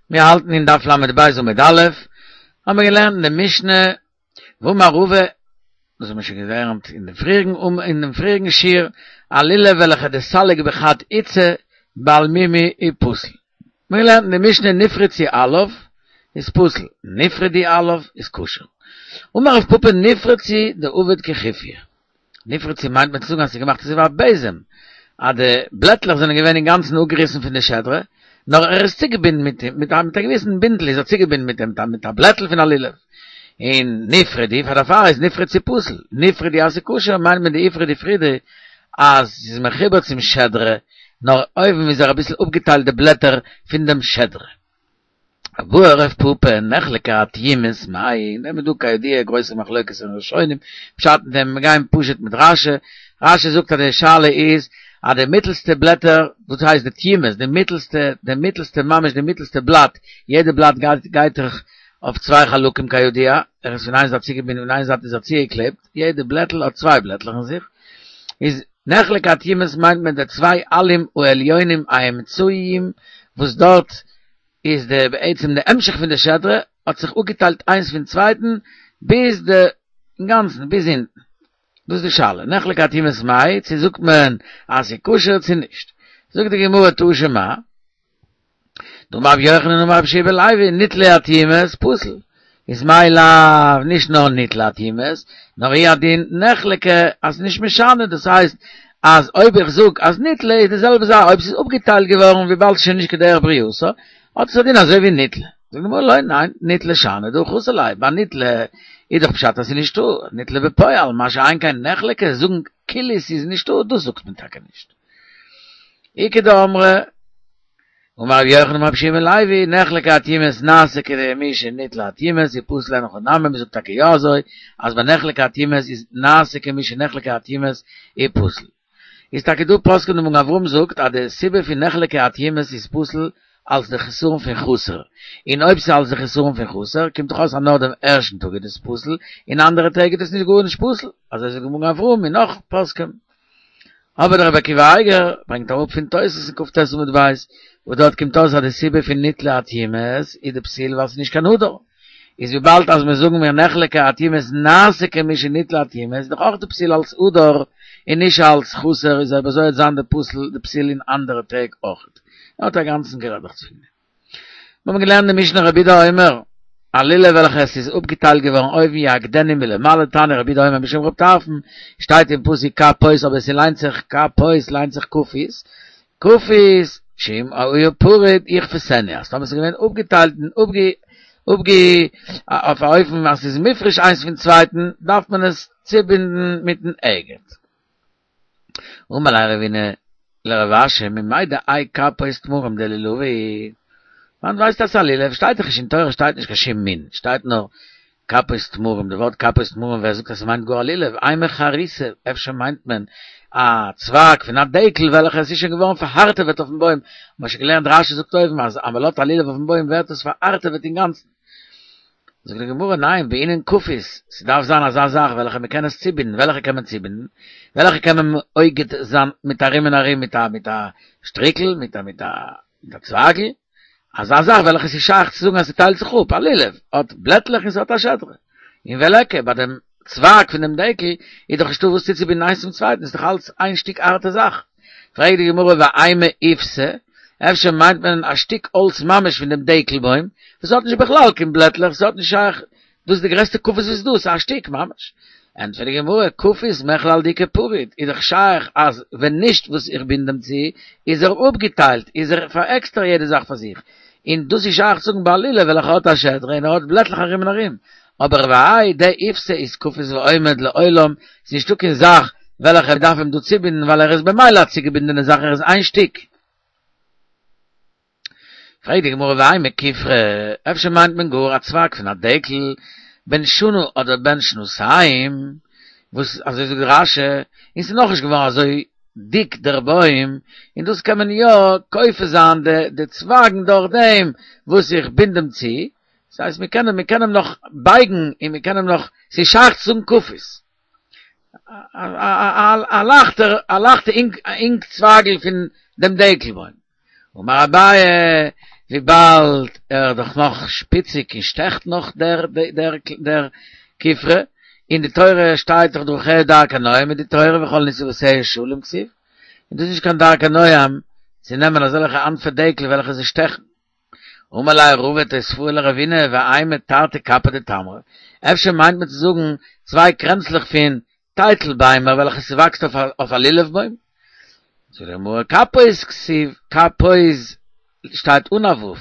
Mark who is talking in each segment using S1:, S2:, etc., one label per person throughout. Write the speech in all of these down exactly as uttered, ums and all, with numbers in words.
S1: מיר האלטן אין דף ל"ב עמוד א', האבן מיר געלערנט אין די משנה, ואמר רבא, דאס האבן מיר שוין געלערנט אין דעם פריעריגן אין דעם פריעריגן שיעור, א לולב וועלכע דסליק בחד איתתא בעל מומא הוא פסול. מיר געלערנט אין די משנה נפרצו עליו איז פסול, נפרדו עליו איז כשר. אמר רב פפא נפרצו דעביד כחופיא. נפרצו מיינט מען צו זאגן אז ס'איז געמאכט אזוי ווי א בעזעם, אז די בלעטלעך זענען געווען אינגאנצן אפגעריסן פון די שדרה, נאר ער איז צוגעבינדן מיט אים, מיט א מיט א געוויסן בינדל איז ער צוגעבינדן מיט דעם, מיט א בלעטל פון א לולב. און נפרדו, פאר דערפאר איז נפרצו פסול, נפרדו אז ס'איז כשר מיינט מען דאיפרוד איפרודי אז ס'איז מחובר צום שדרה, נאר אויבן איז ער אביסל אפגעטיילט די בלעטער פון דעם שדרה. בעי רב פפא נחלקה אטימות מאי, אין דעם איז דא כידוע גרויסע מחלוקת אין ראשונים, פשט אין דעם, מיר גייען פשוט מיט רשי, רשי זאגט אז די שאלה איז אז די מיטלסטע בלעטער, וואס הייסט די תימות, די מיטלסטע, די מיטלסטע ממש די מיטלסטע בלאט, יעדע בלאט גייט גייט דאך אויף צוויי חלקים כידוע, ער איז פון איין זייט צוגעבינדן און איין זייט איז ער צוגעקלעבט, יעדע בלעטל האט צוויי בלעטלעך אין זיך, איז נחלקה אטימות מיינט מען די צוויי עלים העליונים האמצעיים וואס דארט איז די בעצם די המשך פון די שדרה האט זיך אפגעטיילט איינס פון צווייטן ביז די אינגאנצן ביז אונטן. דאס איז די שאלה, נחלקה אטימות מאי, צו זאגט מען אז ס'איז כשר צו נישט. זאגט די גמרא תא שמע, דאמר רבי יוחנן אמר רבי יהושע בן לוי, ניטלו אטימות פסול. איז מאי לאו נישט נאר ניטלו אטימות, נאר הוא הדין נחלקה אז נישט משנה, דאס הייסט אז אויב איך זאג אז ניטלה איז די זעלבע זאך אויב ס'איז אפגעטיילט געווארן וויבאלד ס'איז שוין נישט כדרך ברייתו, האט עס א דין אזוי ווי ניטלה. זאגט די גמרא לא, ניין, ניטלה שאני דהא חסר ליה, ביי ניטלה איז דאך פשט אז ס'איז נישטא, ניטלה בפועל, מה שאין כן נחלקה, זאגן כאילו ס'איז נישטא, דאס זאגט מען טאקע נישט. איכא דאמרי, אמר רבי יוחנן אמר רבי יהושע בן לוי, נחלקה אטימות נעשה כמי שניטלו אטימות, ופסול אין הכי נמי, מ'זאגט טאקע יא אזוי, אז ביי נחלקה אטימות איז נעשה כמי שנחלקה אטימות ופסול. איז טאקע דא פוסקים די מגן אברהם זאגט אז די סיבה פון נחלקה אטימות איז פסול אלס די חסרון פון חסר, און אויב ס'איז אלס די חסרון פון חסר קומט דאך אויס אז נאר דעם ערשטן טאג איז דאס פסול, און אנדערע טעג איז דאס נישט גארנישט פסול, אזוי זאגט די מגן אברהם און נאך פוסקים. אבער דער רבי עקיבא אייגער ברענגט אראפ פון תוס' אין כ"ט עמוד ב', וואס דארט קומט אויס אז די סיבה פון ניטלו אטימות איז די פסול ווייל ס'איז נישט קיין הדר, איז וויבאלד אז מיר זאגן מיר נחלקה אטימות נעשה כמי שניטלו אטימות איז דאך אויך די פסול אלס הדר און נישט אלס חסר איז אויב אזוי וועט זיין די פסול די פסול אין אנדערע טעג אויך. ער האט א גאנצן גערעדעכץ פון דעם. מיר האבן געלערנט די משנה רבי יהודה אומר, א לולב וועלכע עס איז אפגעטיילט געווארן אויבן יאגדנו מלמעלה תניא רבי יהודה אומר משום רב טרפון, שטייט אין פסוק כפות אבער ס'ליינט זיך כפות ליינט זיך כפית, כפית שאם היה פרוד יכפתנו אז טאמער ס'איז געווען אפגעטיילט און אפגע אפגע אויף א אופן אז ס'איז מופרש איינס פון צווייטן דארף מען עס צובינדן מיטן אגד. אמר ליה רבינא לרב אשי ממאי דהאי כפות תמרים דלולבא וואנעט ווייסטו אז ס'איז א לולב שטייט דאך נישט אין תורה שטייט נישט קיין שום מין שטייט נאר כפות תמרים די ווארט כפות תמרים ווער זאגט אז ס'מיינט גאר א לולב אימא חריתא אפשר מיינט מען א צווייג פון א דעקל וועלכע עס איז שוין געווארן פארהארטעוועט אויפן בוים מ'האט שוין געלערנט רשי זאגט אויבן אז אז מ'לאזט א לולב אויפן בוים ווערט עס פארהארטעוועט אינגאנצן זאגט די גמרא, ניין, בעינן כפית, ס'דארף זיין אזא זאך וועלכע מ'קען עס צובינדן, וועלכע קען מען צובינדן? וועלכע קען מען אוגד זיין מיט ארום און ארום מיט א מיט א שטריקל, מיט א מיט א מיט א צווייגל, אזא זאך וועלכע ס'איז שייך צו זאגן אז ס'טיילט זיך אפ, א לולב האט בלעטלעך און ס'האט א שדרה, און וליכא, ביי דעם צווייג פון דעם דקל איז דאך נישטא וואס צוצובינדן איינס צום צווייטן, ס'איז דאך אלץ איין שטיק הארטע זאך. פרעגט די גמרא ואימא איפתא, אפשר מיינט מען א שטיק האלץ ממש פון דעם דקל בוים, וואס האט נישט בכלל קיין בלעטלעך, ס'האט נישט שייך, דאס איז די גרעסטע כפית וואס איז דא, ס'איז א שטיק ממש. ענטפערט די גמרא, כפית מכלל דאיכא פרוד, איז דאך שייך אז ווען נישט וואס איך בינד אים צו, איז ער אפגעטיילט, איז ער פאר עקסטער יעדע זאך פאר זיך, און דאס איז שייך צו זאגן ביי א לולב וועלכע האט א שדרה און ער האט בלעטלעך ארום און ארום, אבער והאי דאיפתא איז כפית ועומד לעולם, ס'איז נישטא קיין זאך וועלכע מ'דארף אים דא צובינדן ווייל ער איז במילא א צוגעבינדענע זאך ער איז איין שטיק. פרעגט די גמרא ואימא כופרא, אפשר מיינט מען גאר א צווייג פון א דקל בן שנה אדער בן שנתיים, וואס אזוי זאגט רש"י, און ס'איז נאכנישט געווארן אזוי דיק דער בוים, און דאס קען מען יא כופה זיין די די צווייגן דורך דעם וואס איך בינד אים צו, דאס הייסט מיר קענען מיר קענען אים נאך בייגן און מיר קענען אים נאך, ס'איז שייך צו זאגן כפית. א לייכטער א לייכטע אינג אינג צווייגל פון דעם דקל בוים. אמר אביי, wie bald er doch noch spitzig und stecht noch der, der, der, der Kifre, in die Teure steht doch durch er da kann mit die Teure, wir wollen nicht so sehr Schulem gsief. Und das ist kein da kann sie nehmen also solche Anverdekle, welche sie stechen. Umalai Ruvet es fuhr Ravine, wa ein Tarte Kappe de Tamre. Efter meint mit zu sagen, zwei Kränzlich fin Teitelbeimer, welche sie wächst auf auf a Lilefbäum. So der Moor Kappe ist gsief, Kappe ist steht unawuf.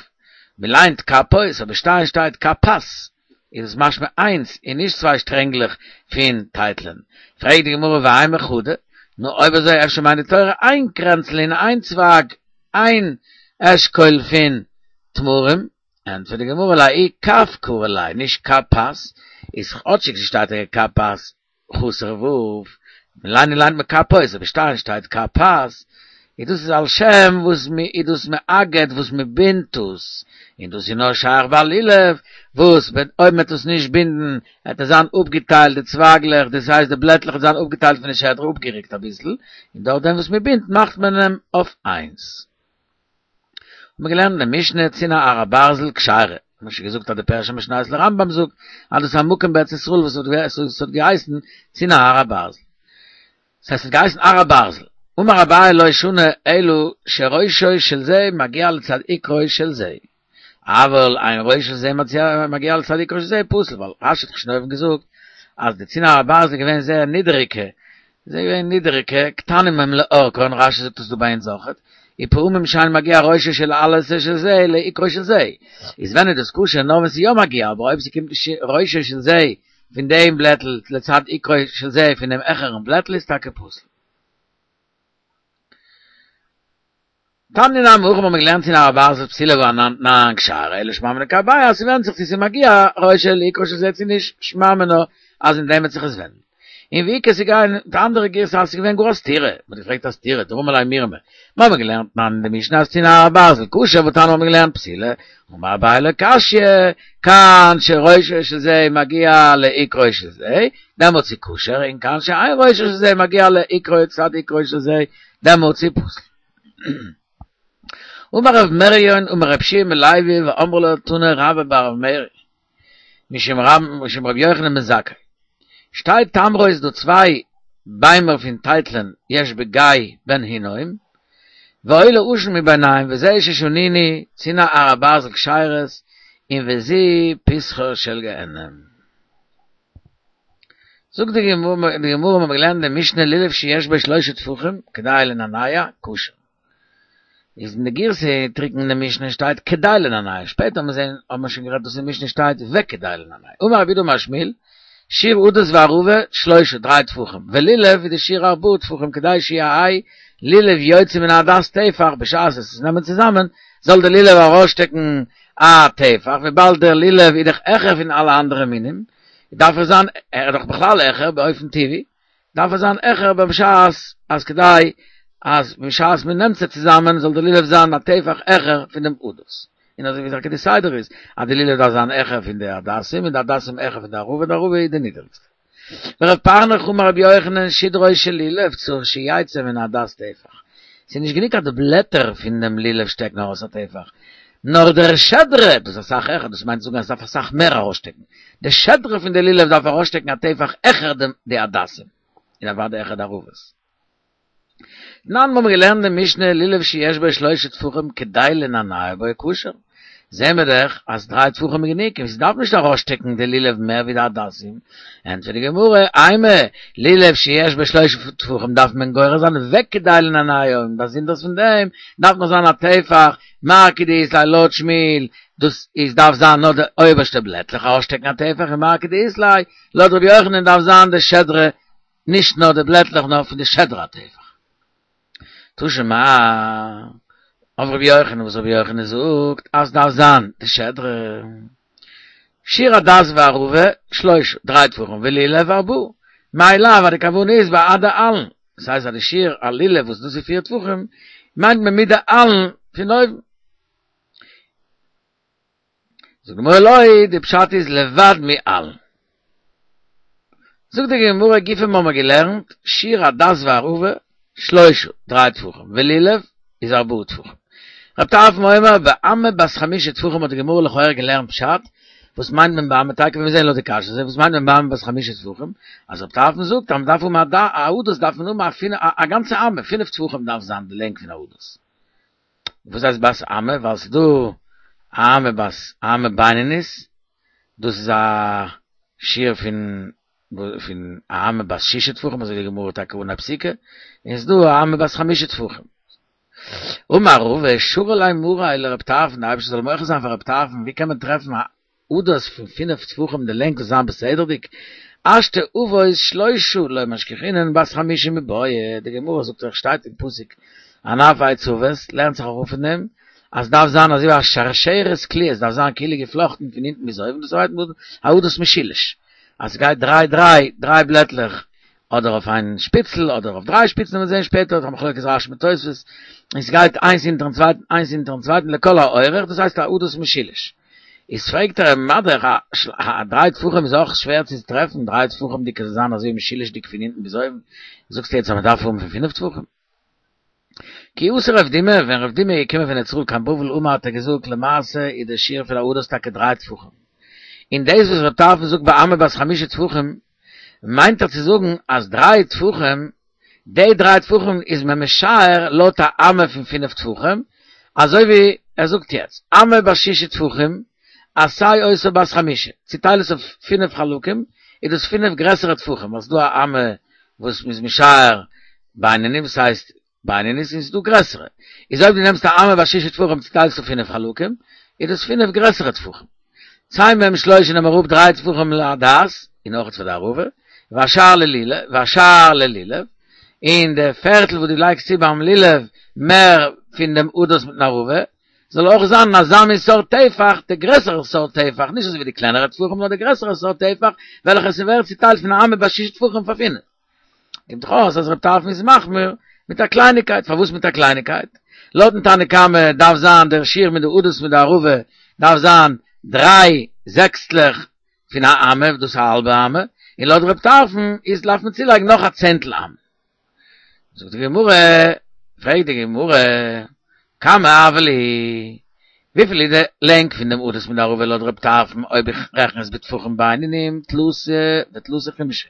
S1: Mi leint Kappe ist, aber steht steht Kapas. Ist es manchmal eins, in nicht zwei strenglich fin Teitlen. Fragt die Gemurre, wa einmal Chude, nur ob er sei efter meine Teure ein Kränzl in ein Zwag, ein Eschkol fin Tmurim, und für die Gemurre lai, Kaf Kurelei, nicht Kapas, ist otschig, sie steht der Kapas, Chusser Wuf, Leine leint me Kapois, aber steht, steht Kapas, idus is al Shem, wus mi, idus me aget, wus me bintus, idus ino schar balilev, wus, wenn oi mit us nicht binden, hat es an upgeteilt, die Zwagler, das heißt, die Blättler sind upgeteilt von der Schädel, upgeregt ein bisschen, und dort, wus me bind, macht man ihm auf eins. Und wir gelernt, der Mischne, Zina Ara Basel, Gschare. Man hat gesucht, hat der Persche Mischne, als der Rambam sucht, hat es am Mucken bei Zisrul, was hat geheißen, Zina Ara Basel. Das heißt, es geheißen Ara Basel. אומר אביי לא ישונה אלו שראשו של זה מגיע לצד עיקרוי של זה. אבל ein ראש של זה מגיע לצד עיקרוי של זה פוסל, weil רש"י hat schon gesucht, als die Zina Basel gewesen sehr niedrige, sehr niedrige, קטנים הם לאור, קוראים רש"י זאת du bei זוכת, יפאום im מגיע ראש של alles של זה לעיקרוי של זה. איז wenn das kusche noch was ja מגיע, aber ob sie kommt ראש של זה von dem Blättel לצד עיקרוי של זה von dem echeren Blättel ist take פוסל. Tan in am Uch, man gelernt in der Basel Psile war nan nan gschare, ele schmam ne kabaya, sie werden sich diese Magia, Räusche, Liko, sie nicht schmam no, als in dem sich es wenn. In wie sie gehen, die andere Girse, als sie gewinn groß Tiere, man fragt das Tiere, drum allein mir mehr. Man gelernt man de Mishnah in der Basel, Kusche, wo tan man gelernt Psile, und ma beile Kaschie, kan she Räusche ze magia le ikro ze, da muss sie kusher, in kan she ein Räusche ze magia le ikro zad ikro ze, da muss sie pusl. אומר רב מריון, אומר רב שיר מלייבי, ואומר לו תונה רבא בר מרי. משם רב, משם רב יוחנן בן זכאי. שתי תמרו איז דו צוויי ביימר פין טייטלן, יש בגיא בן הינוים, ואוי אושן מביניים, וזה ששוניני, צינה ערבה זל קשיירס, אם וזי פסחר של גהנם. זוג די גמור מגלן דמשנה לילף שיש בה שלושה טפוחים, כדאי לנניה, כושר. Is in der Girse trinken in der Mischne steht kedai lenanai. Später haben wir sehen, haben wir schon gehört, dass in der Mischne steht wegkedai lenanai. Umar Rabbi Mashmil, Shir Udes Varuve, Schleusche, drei Tfuchen. Velilev, wie der Shir Arbu, Tfuchen, kedai Shia Ai, Lilev Joyze min Adas Teifach, beschaß es, nehmen zusammen, soll der Lilev rausstecken, a Teifach, wie bald der Lilev, idach Echer in alle anderen Minim, darf er sein, er doch bechlal Echer, bei Eufen T V, darf er sein Echer, bei beschaß, als kedai, als beschaß mit nimmt sie zusammen, soll der Lilev sein, a Teifach Echer von dem Udos. In also wie sagt die Seider ist, a der Lilev da sein Echer von der Adassim, und der Adassim Echer von der Ruwe, der Ruwe der niedrigste. Wir haben Chumar Rabbi Yochanan Shidroi shel Lilev zur Shiyaytze min Adas Teifach. Sie nicht genick hat die Blätter von dem Lilev stecken aus der Teifach. Nor der Schedre, das ist Sach Echer, das meint sogar, es darf eine Sach mehr rausstecken. Der Schedre von der Lilev darf rausstecken, hat Teifach Echer dem, der Adassim. In der war der Echer der Ruwes. Nan, wo wir gelernt, der Mischne, Lilev sheyesh bei Schleusche Tfuchem, kedai lenanai, bei Kusher. Sehen wir doch, als drei Tfuchem genick, sie darf nicht da rausstecken, der Lilev mehr wie der Adassim. Und für die Gemurre, einmal, Lilev sheyesh bei Schleusche Tfuchem, darf man geure sein, wegkedai lenanai, und das sind das von dem, darf man sein, Teifach, Marke die Islai, Lot Schmil, das ist, darf sein, nur der oberste Blättlich rausstecken, a Teifach, Marke die Islai, Lot Rabbi Yochanan darf sein, der Schedre, nicht nur der Blättlich, nur von der Schedre Teifach. Tushema, auf Rabbi Yochanan, was Rabbi Yochanan sucht, als darf sein, der Schedre. Shira das war Ruwe, Schleus, drei Tfuchen, Velile war Bu. Maila, war der Kavun ist, war Ada Allen. Das heißt, der Shir, Alile, was du sie vier Tfuchen, meint man mit der Allen, für neu. So, Gemurre Loi, die Pshat ist levad mi Allen. So, die Gemurre Gife, wo man gelernt, Shira das war Ruwe, Schleus, drei Tfuchen, Velilev, ist Arbu Tfuchen. רב טרפון אומר, באמה בת חמשה טפחים האט די גמרא לכאורה געלערנט פשט, וואס מיינט מען באמה טאקע ווען מיר זעען לויט די קשיא אזוי וואס מיינט מען באמה בת חמשה טפחים אז רב טרפון זאגט אז מ'דארף האבן א א הדס דארף מען האבן א א גאנצע אמה פינף טפחים דארף זיין די לענג פון א הדס וואס הייסט בת אמה ווייל ס'איז דא א אמה בת אמה בינונית דאס איז א שיעור פון פון א אמה בת שישה טפחים אזוי די גמרא טאקע אן הפסיקה און ס'איז דא א אמה בת חמשה טפחים אמר רבא שרא ליה מריה לרב טרפון די אייבערשטער זאל מוחל זיין פאר רב טרפון ווי קען מען טרעפן א הדס פון פינף טפחים די לענג זאל זיין בסדר'דיג השתא אבות שלושה לא משכחינן בת חמשה מיבעיא די גמרא זאגט דאך שטייט אין פסוק ענף עץ עבות לערנט זיך אראפ פון דעם אז דארף זיין אזוי ווי א שרשרת קלויה עס דארף זיין כאילו געפלאכטן פון אונטן ביז אויבן דאס הייסט א הדס משולש אז ס'גייט דריי דריי דריי בלעטלעך אדער אויף איין שפיצל אדער אויף דריי שפיצן וועט מען זען שפעטער א מחלוקת רש"י מיט תוספות און ס'גייט איינס אונטערן צווייטן איינס אונטערן צווייטן לכל האורך דאס הייסט א הדס משולש איז פרעגט ער אים מה-דאך א דריי טפחים איז אויך שווער צו טרעפן דריי טפחים'דיג זאל זיין אזוי משולש'דיג פון אונטן ביז אויבן זאגסטו יעצט אז מ'דארף האבן פון פינף טפחים כי אתא רב דימי ווען רב דימי איז געקומען פון ארץ ישראל קיין בבל אמר האט ער געזאגט למעשה איז דער שיעור פון א הדס טאקע דריי טפחים און דאס וואס רב טרפון זאגט באמה בת חמשה טפחים מיינט ער צו זאגן אז דריי טפחים די דריי טפחים איז מען משער לויט א אמה פון פינף טפחים אזוי ווי ער זאגט יעצט אמה בת שישה טפחים עשה אותה בת חמשה צוטייל עס אויף פינף חלקים איז דאס פינף גרעסערע טפחים ווייל ס'דא א אמה וואס מ'איז משער בינוני וואס הייסט בינונית און ס'דא גרעסערע איז אויב דו נעמסט א אמה בת שישה טפחים צוטיילסט אויף פינף חלקים איז דאס פינף גרעסערע טפחים צא מהם שלושה נעם אראפ דריי טפחים להדס און אויך פאר די ערבה והשאר ללולב והשאר ללולב און די פערטל וואס דו לייגסט צו ביים לולב מער פון דעם הדס מיטן ערבה זאל אויך זיין אזא מין סארט טפח די גרעסערע סארט טפח נישט אזוי ווי די קלענערע טפחים נאר די גרעסערע סארט טפח וועלכע ס'ווערט צוטיילט פון א אמה בת שישה טפחים פאר פינף קומט דאך אויס אז רב טרפון איז מחמיר מיט א קלייניקייט פארוואס מיט א קלייניקייט לויטן תנא קמא דארף זיין דער שיעור מיט די הדס מיט די ערבה דארף זיין דריי זעקסטלעך פון א אמה דאס איז א האלבע אמה און לויט רב טרפון איז דארף מען צולייגן נאך א צענטל אמה זאגט די גמרא פרעגט די גמרא כמה הוה להו וויפיל איז די לענג פון דעם הדס מיט די ערבה לויט רב טרפון אויב איך רעכן עס בטפחים בינוניים תלתא ותלתא חומשי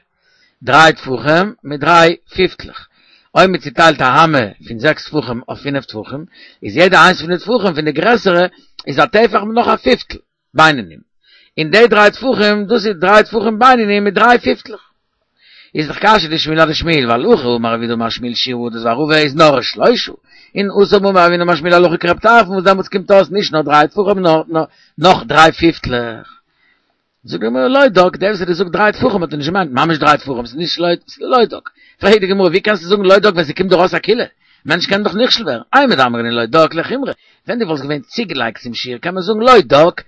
S1: דריי טפחים מיט דריי פיפטלעך אויב מען צוטיילט א אמה פון זעקס טפחים אויף פינף טפחים איז יעדע איינס פון די טפחים פון די גרעסערע איז א טפח מיט נאך א פיפטל בינונים און די דריי טפחים דאס איז דריי טפחים בינונים מיט דריי פיפטלעך איז דאך קשיא דשמואל אדשמואל ווייל הכא אמר רב יהודה אמר שמואל שיעור הדס וערבה איז נאר שלושה און התם אמר רב הונא אמר שמואל הלכה כרב טרפון וואס דעמאלטס קומט אויס נישט נאר דריי טפחים נאר נאך דריי פיפטלעך זאגט די גמרא לא דק דער וואס האט געזאגט דריי טפחים האט ער נישט געמיינט ממש דריי טפחים ס'איז נישט לא ס'איז לא דק פרעגט די גמרא ווי קענסטו זאגן לא דק ווען ס'קומט דאך אויס א קולא מענטש קען דאך נכשל ווערן אימר דאמרינן לא דק לחומרא ווען דו וואלסט געווען צוגעלייגט צום שיעור קען מען זאגן לא דק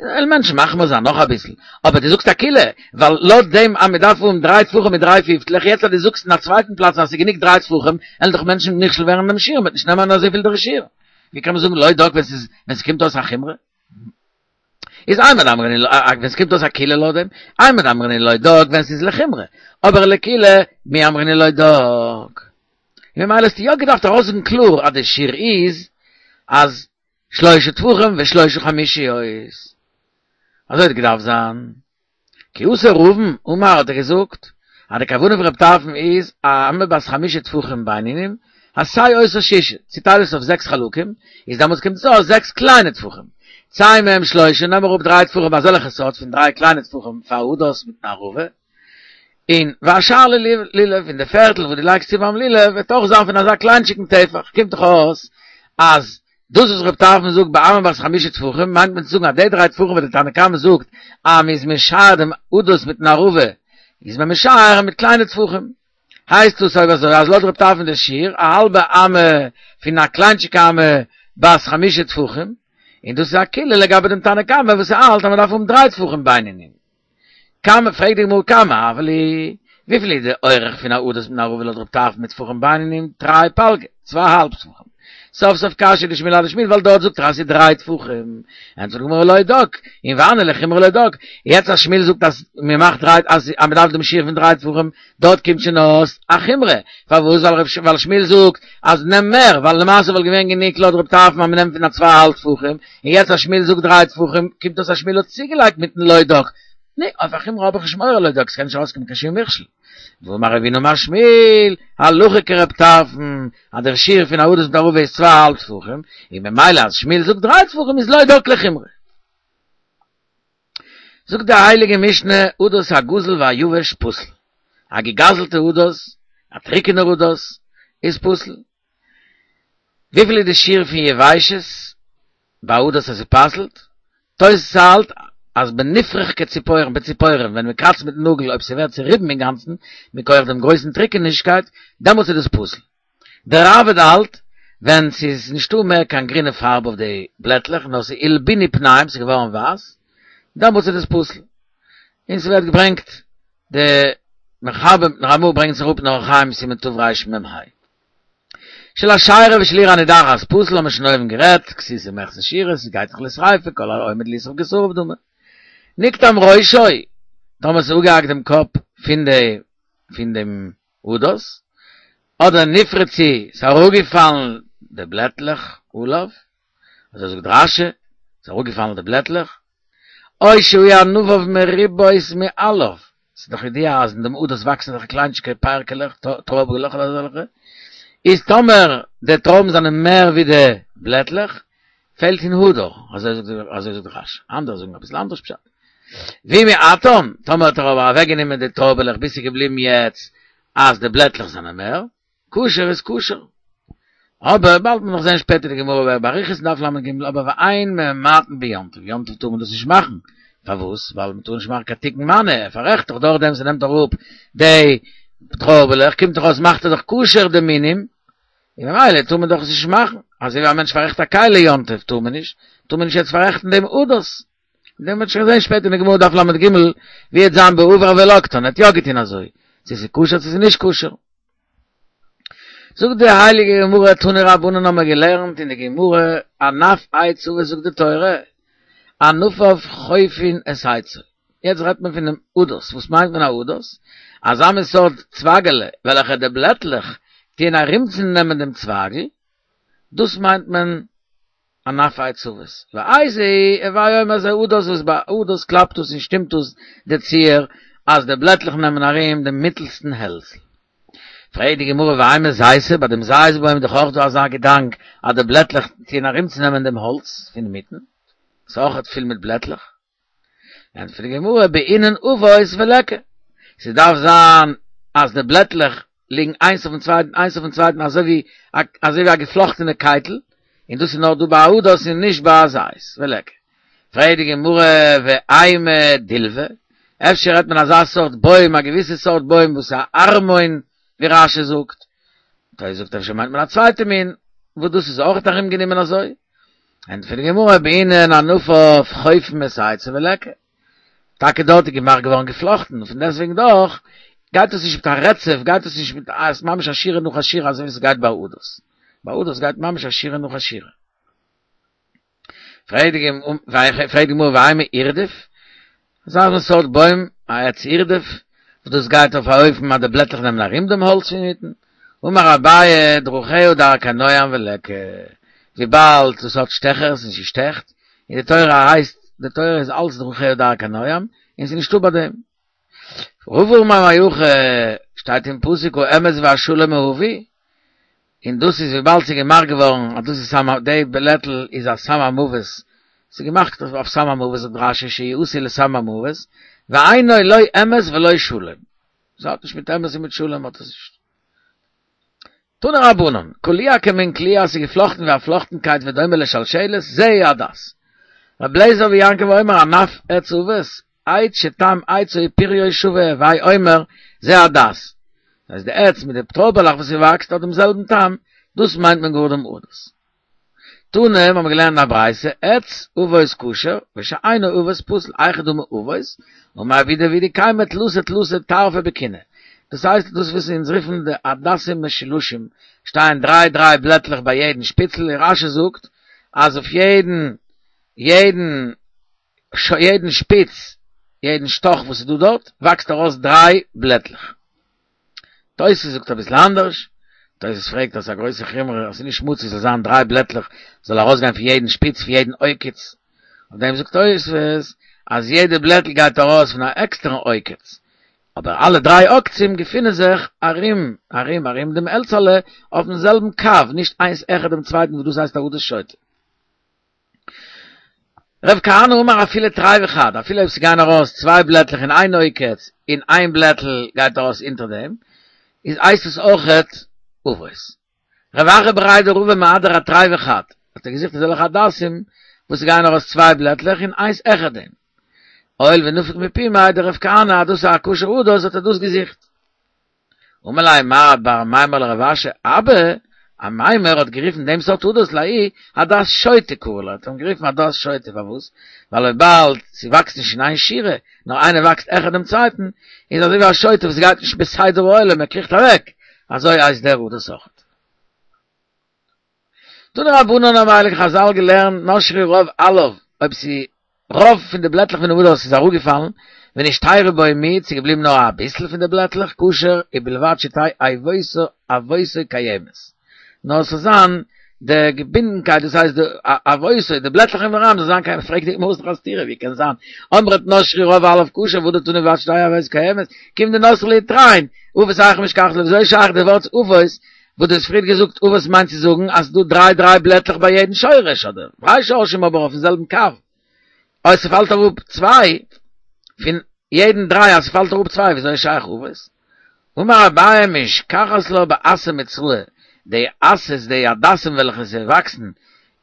S1: וועלן מענטשן מחמיר זיין נאך אביסל אבער דו זאגסט א קולא ווייל לויט דעם אז מ'דארף האבן דריי טפחים מיט דריי פיפטלעך יעצט אז דו זאגסט אין א צווייטן פלאץ אז ס'איז גענוג דריי טפחים וועלן דאך מענטשן נכשל ווערן אינעם שיעור מ'וועט נישט נעמען אזויפיל דער שיעור ווי קען מען זאגן לא דק ווען ס'איז ווען ס'קומט אויס א חומרא איז אימר דאמרינן ווען ס'קומט אויס א קולא לויט דעם אימר דאמרינן לא דק ווען ס'איז לחומרא אבער לקולא מי אמרינן לא דק און ממילא האסטו יא געדארפט ארויסזאגן קלאר אז די שיעור איז אז שלושה טפחים ושלושה חמישיות אזוי האט געדארפט זיין כי אתא רבין אמר האט ער געזאגט אז די כוונה פון רב טרפון איז א אמה בת חמשה טפחים בינונים עשה אותה שישה צוטייל עס אויף זעקס חלקים איז דעמאלטס קומט עס אויס זעקס קליינע טפחים צא מהם שלושה נעם אראפ דריי טפחים אזעלכע סארט פון דריי קליינע טפחים פאר הדס מיטן ערבה און והשאר ללולב און די פערטל וואס דו לייגסט צו ביים לולב וועט אויך זיין פון אזא קליינטשיגן טפח קומט דאך אויס אז דאס וואס רב טרפון זאגט באמה בת חמשה טפחים מיינט מען צו זאגן אז די דריי טפחים וואס די תנא קמא זאגט אז מ'איז משער דעם הדס מיטן ערבה איז מען משער מיט קליינע טפחים הייסט דאס אויב אזוי אז לויט רב טרפון די שיעור א האלבע אמה פון א קליינטשיגע אמה בת חמשה טפחים און דאס איז א קולא לגבי דעם תנא קמא וואס האלט אז מען דארף האבן דריי טפחים בינונים כמה פרעגט די גמרא כמה הוה להו וויפיל איז די אורך פון א הדס מיטן ערבה לויט רב טרפון מיט טפחים בינונים תרי פלגי צוויי האלב טפחים סוף סוף קשיא דשמואל אדשמואל, ווייל דארט זאגט ער אז ס'איז דריי טפחים. ענטפערט די גמרא לא דק, און והני לחומרא לא דק. יעצט אז שמואל זאגט אז מען מאכט דריי, אז מען דארף דעם שיעור פון דריי טפחים, דארט קומט שוין אויס א חומרא. פארוואס? ווייל שמואל זאגט אז נעם מער, ווייל למעשה וואלט געווען גענוג לויט רב טרפון אז מען נעמט פון א צוויי אהאלב טפחים, און יעצט אז שמואל זאגט דריי טפחים, קומט אויס אז שמואל האט צוגעלייגט מיטן לא דק. נו, אויף א חומרא האב איך נישט מורא לא דק, ס'קען נישט ארויסקומען קיין שום מכשול. ואמר רבינא אמר שמואל, הלכה כרב טרפון, אז דער שיעור פון א הדס מיט ערבה איז צוויי אהאלב טפחים, און ממילא אז שמואל זאגט דריי טפחים איז לא דק לחומרא. זאגט די הייליגע משנה, הדס הגזול והיבש פסול. א געגאזלטע הדס, א טריקענער הדס, איז פסול. וויפיל איז די שיעור פון יבשות ביי הדס אז ס'פסל'ט? תוס' האלט אז בנפרך כציפורן בציפורן ווען מ'קראצט מיטן נאגל אויב ס'ווערט צוריבן אינגאנצן מכח דעם גרויסן טריקענישקייט דעמאלטס איז דאס פסול. דער ראב"ד האלט ווען ס'איז נישטא מער קיין גרינע פארב אויף די בלעטלעך נאר ס'איז הלבינו פניהם ס'איז געווארן ווייס דעמאלטס איז דאס פסול. און ס'ווערט געברענגט די מחבר מיטן רמ"א ברענגט עס אראפ אין אורח חיים סימן תרמ"ה. של אשירה ושל עיר הנידחת פסול האבן מיר שוין אויבן גערעדט, כסותו מחצה שיעורה, ס'גייט דאך לשריפה, כל העומד לישרף כשרוף דמי. נקטם ראשו, טאמער ס'איז אפגעהאקט דעם קאפ פון די פון דעם הדס, אדער נפרצו, ס'איז אראפגעפאלן די בלעטלעך עליו, אזוי זאגט רש"י, ס'איז אראפגעפאלן די בלעטלעך, או שהיו ענפיו מרובות מעליו, ס'איז דאך ידוע אז אין דעם הדס וואקסן אזעלכע קליינטשיגע פערקעלעך, טרויבעלעך אדער אזעלכע, איז טאמער די טרויבן זענען מער ווי די בלעטלעך, פעלט אין הדר, אזוי זאגט רש"י, אנדערע זאגן אביסל אנדערש פשט. ואם מיעטן, טאמער האט ער אבער אוועקגענומען די טרויבעלעך ביז ס'איז געבליבן יעצט אז די בלעטלעך זענען מער, כשר איז כשר. אבער באלד מען נאך זען שפעטער די גמרא באריכות אין דף ל"ג, אבער ואין ממעטין ביום טוב, יום טוב טאר מען דאס נישט מאכן, פארוואס? ווייל מען טאר נישט מאכן קיין תיקון מנא, ער פאררעכט דאך דורכדעם ס'נעמט אראפ די טרויבעלעך, קומט דאך אויס מאכט ער דאך כשר די מינים, און ממילא טאר מען דאך עס נישט מאכן, אזוי ווי א מענטש פאררעכט א כלי יום טוב טאר מען נישט, טאר מען נישט יעצט פאררעכטן דעם הדס. דעם וועט שוין זען שפעטער אין די גמרא דף ל"ג, ווי וועט זיין בעבר ולקטן, ער האט יא געטון אזוי, צו ס'איז כשר צו ס'איז נישט כשר. זאגט די הייליגע גמרא תנו רבנן האבן מיר געלערנט אין די גמרא ענף עץ עבות זאגט די תורה ענפיו חופין את עצו יעצט רעדט מען פונעם הדס וואס מיינט מען א הדס? אזא מין סארט צווייגעלע וועלכע די בלעטלעך טוען ארומצונעמען דעם צווייגל דאס מיינט מען ענף עץ עבות, ואיזהו הוי אומר זה הדס וואס ביי הדס קלאפט דאס און שטימט דאס די ציור אז די בלעטלעך נעמען ארום דעם מיטלסטן העלזל. פרעגט די גמרא ואימא זיתא, ביי דעם זית בוים איז דאך אויך דא אזא געדאנק אז די בלעטלעך טוען ארומצונעמען דעם האלץ פון אינמיטן, ס'איז אויך פול מיט בלעטלעך. ענטפערט די גמרא בעינן עבות וליכא, ס'דארף זיין אז די בלעטלעך ליגן איינס אויפן צווייטן איינס אויפן צווייטן אזוי ווי אזוי ווי א געפלאכטענע קייטל, און דאס איז נאר דא ביי א הדס און נישט ביי א זית, וליכא. פרעגט די גמרא ואימא דילבא, אפשר רעדט מען אזא סארט בוים, א געוויסע סארט בוים וואס איז א ערמון ווי רש"י זאגט, תוס' זאגט אפשר מיינט מען א צווייטע מין וואס דאס איז אויך ארומגענומען אזוי, ענטפערט די גמרא בעינן ענפיו חופין את עצו וליכא, טאקע דארט איז געמאכט געווארן געפלאכטן, און פון דעסטוועגן דאך גייט עס נישט מיט א רצף, גייט עס נישט מיט א ממש א שורה נאך א שורה אזוי ווי עס גייט ביי הדס, ביי הדס גייט ממש א שורה נאך א שורה. פרעגט די גמרא ואימא אירדף, אזא מין סארט בוים, א עץ אירדף, וואס דאס גייט אויף א אופן אז די בלעטלעך נעמען ארום דעם האלץ פון אינמיטן, אמר אביי דרכיה דרכי נועם וליכא, וויבאלד דאס האט שטעכערס און ס'שטעכט, און די תורה הייסט, די תורה איז אלץ דרכיה דרכי נועם, און ס'איז נישטא ביי דעם. רבא אמר מהכא, שטייט אין פסוק האמת והשלום אהבו, און דאס איז וויבאלד ס'איז געמאכט געווארן אז דאס איז סם די בלעטל איז א סם המוות, ס'איז געמאכט אויף סם המוות זאגט רש"י שהוא עשוי לסם המוות, ואינו לא אמת ולא שלום, ס'האט נישט מיט אמת און מיט שלום האט עס נישט. תנו רבנן, קלוע כמין קליעה ס'איז געפלאכטן ווי א פלאכטנקייט ודומה לשלשלת, זהו הדס. ר' אליעזר ויעקב אומר ענף עץ עבות, עץ שטעם עצו ופריו שווה, הוי אומר, זה הדס. דאס הייסט די עץ מיט די טרויבעלעך וואס ס'וואקסט האט דעם זעלבן טעם, דאס מיינט מען גאר דעם הדס. תנא, האבן מיר געלערנט אין א ברייתא, עץ עבות כשר, ושאינו עבות פסול, היכי דמי עבות, אמר רב יהודה והוא דקיימי תלתא תלתא טרפי בקיני. דאס הייסט דאס וואס אונז רופן די הדסים משולשים, שטייען דריי דריי בלעטלעך ביי יעדן שפיצל, און רשי זאגט אז אויף יעדן יעדן יעדן שפיץ, יעדן שטאך וואס איז דא דארט, וואקסט ארויס דריי בלעטלעך. תוס' זאגט אביסל אנדערש, תוס' פרעגט אז ס'איז א גרויסע חומרא אז ס'איז נישט מצוי ס'זאל זיין דריי בלעטלעך זאל ארויסגיין פון יעדן שפיץ פון יעדן עוקץ, אויף דעם זאגט תוס' אז יעדע בלעטל גייט ארויס פון א עקסטערן עוקץ, אבער אלע דריי עוקצים געפינען זיך ארום ארום ארום דעם העלצעלע אויפן זעלבן קו, נישט איינס העכער דעם צווייטן וואס דאס הייסט א הדס שוטה. רב כהנא אמר אפילו תרי וחד, אפילו אויב ס'גייען ארויס צוויי בלעטלעך אין איין עוקץ און איין בלעטל גייט ארויס אונטער דעם, איז הייסט עס אויכעט אבות. רב אחא בריה דרבא מהדר אתרי וחד, האט ער געזוכט אזעלכע הדסים וואס ס'גייען ארויס צוויי בלעטלעך און איינס העכער דעם. הואיל ונפיק מפומיה דרב כהנא אז דאס איז א כשר הדס האט ער דאס געזוכט. אמר ליה מר בר אמימר לרב אשי אבא אמימר האט גערופן דעם סארט הדס לההוא הדס שוטה קרי ליה, האט אים גערופן הדס שוטה פארוואס? ווייל וויבאלד ס'וואקסט נישט אין איין שורה, נאר איינער וואקסט העכער דעם צווייטן, איז אזוי ווי א שוטה וואס גייט נישט בסדר העולם, ער קריכט אוועק, אזוי הייסט דער הדס אויכעט. תנו רבנן האבן הייליגע חזל געלערנט נשרו רוב עליו, אויב ס'איז רוב פון די בלעטלעך פון די הדס איז אראפגעפאלן, ונשתיירו בו מיעוט, ס'איז געבליבן נאר אביסל פון די בלעטלעך, כשר, ובלבד שתהא עבותו עבותו קיימת. נאר ס'זאל זיין די געבינדנקייט, דאס הייסט די עבותו, די בלעטלעך אינעם ארום זאל זיין קיים, פרעגט די גמרא ס'איז דאך א סתירה, ווי קען זיין, אמרת נשרו רוב עליו כשר, והדר תני ובלבד שתהא עבותו קיימת, כיון דנתרי להו תרין, אבות היכי משכחת לה, וויאזוי איז שייך די ווארט אבות, וואס דו האסט פריער געזאגט אבות מיינט צו זאגן אז ס'דא דריי דריי בלעטלעך ביי יעדן שורש, אדער דריי שורשים אבער אויפן זעלבן קו, אויב ס'פאלט אראפ צוויי פון יעדן דריי אז ס'פאלט אראפ צוויי וויאזוי איז שייך אבות? אמר אביי משכחת לה באסא מצראה, די אסא'ס די הדסים וועלכע זיי וואקסן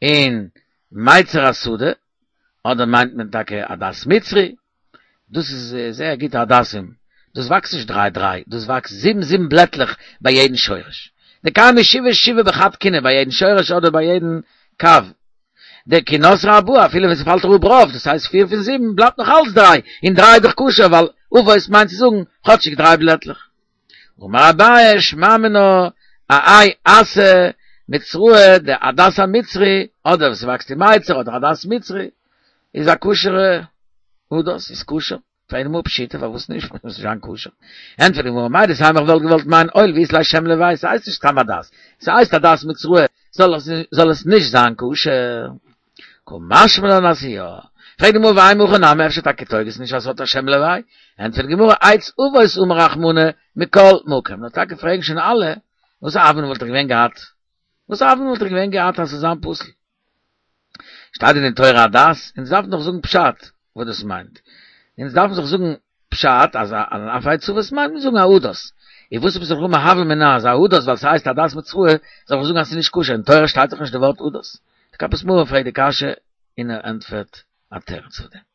S1: אין מיצר השדה, אדער מיינט מען טאקע הדס מצרי, דאס איז זייער גוטע הדסים, דאס וואקסט נישט דריי דריי, דאס וואקסט זיבן זיבן בלעטלעך ביי יעדן שורש, דקיימי שבעה שבעה בחד קינא ביי יעדן שורש אדער ביי יעדן קו, דכי נתרי ארבעה אפילו ווען ס'פאלט אראפ רוב, דאס הייסט פיר פון זיבן, בלייבט נאך אלץ דריי, און דריי איז דאך כשר ווייל אבות מיינט צו זאגן כאטשיג דריי בלעטלעך. אמר אביי שמע מינה האי אסא מצראה די הדס המצרי, אדער וואס ס'וואקסט אין מיצר אדער הדס מצרי, איז א כשר'ע הדס, איז כשר. פרעגט די גמרא פשיטא פארוואס נישט מוז נישט זיין כשר? ענטפערט די גמרא מהו דתימא איך וואלט געוואלט מיינען הואיל ואית ליה שם לוואי ס'הייסט נישט סתם הדס ס'הייסט הדס מצראה זאל עס זאל עס נישט זיין כשר קא משמע לן אז יא פרעגט די גמרא ואימא הכי נמי אפשר טאקע טויג עס נישט אז ס'האט א שם לוואי ענטפערט די גמרא עץ אבות אמר רחמנא מכל מקום נאר טאקע פרעגן שוין אלע וואס א הוה אמינא וואלט איך געווען געהאט וואס א הוה אמינא וואלט איך געווען געהאט אז ס'זאל זיין פסול שטייט דען אין תורה הדס? אונז דארפן דאך זאגן פשט וואס דאס מיינט. אונז דארפן דאך זאגן פשט אז אויף עץ אבות מיינט מען זאגן א הדס. און וואס עפעס זאל איך האבן א הוה אמינא אז א הדס ווייל ס'הייסט הדס מצראה זאל איך זאגן אז ס'איז נישט כשר? אין תורה שטייט דאך נישט די ווארט הדס. די כפות מרור פרעגט די קשיא און ער ענטפערט א תירוץ אויף דעם.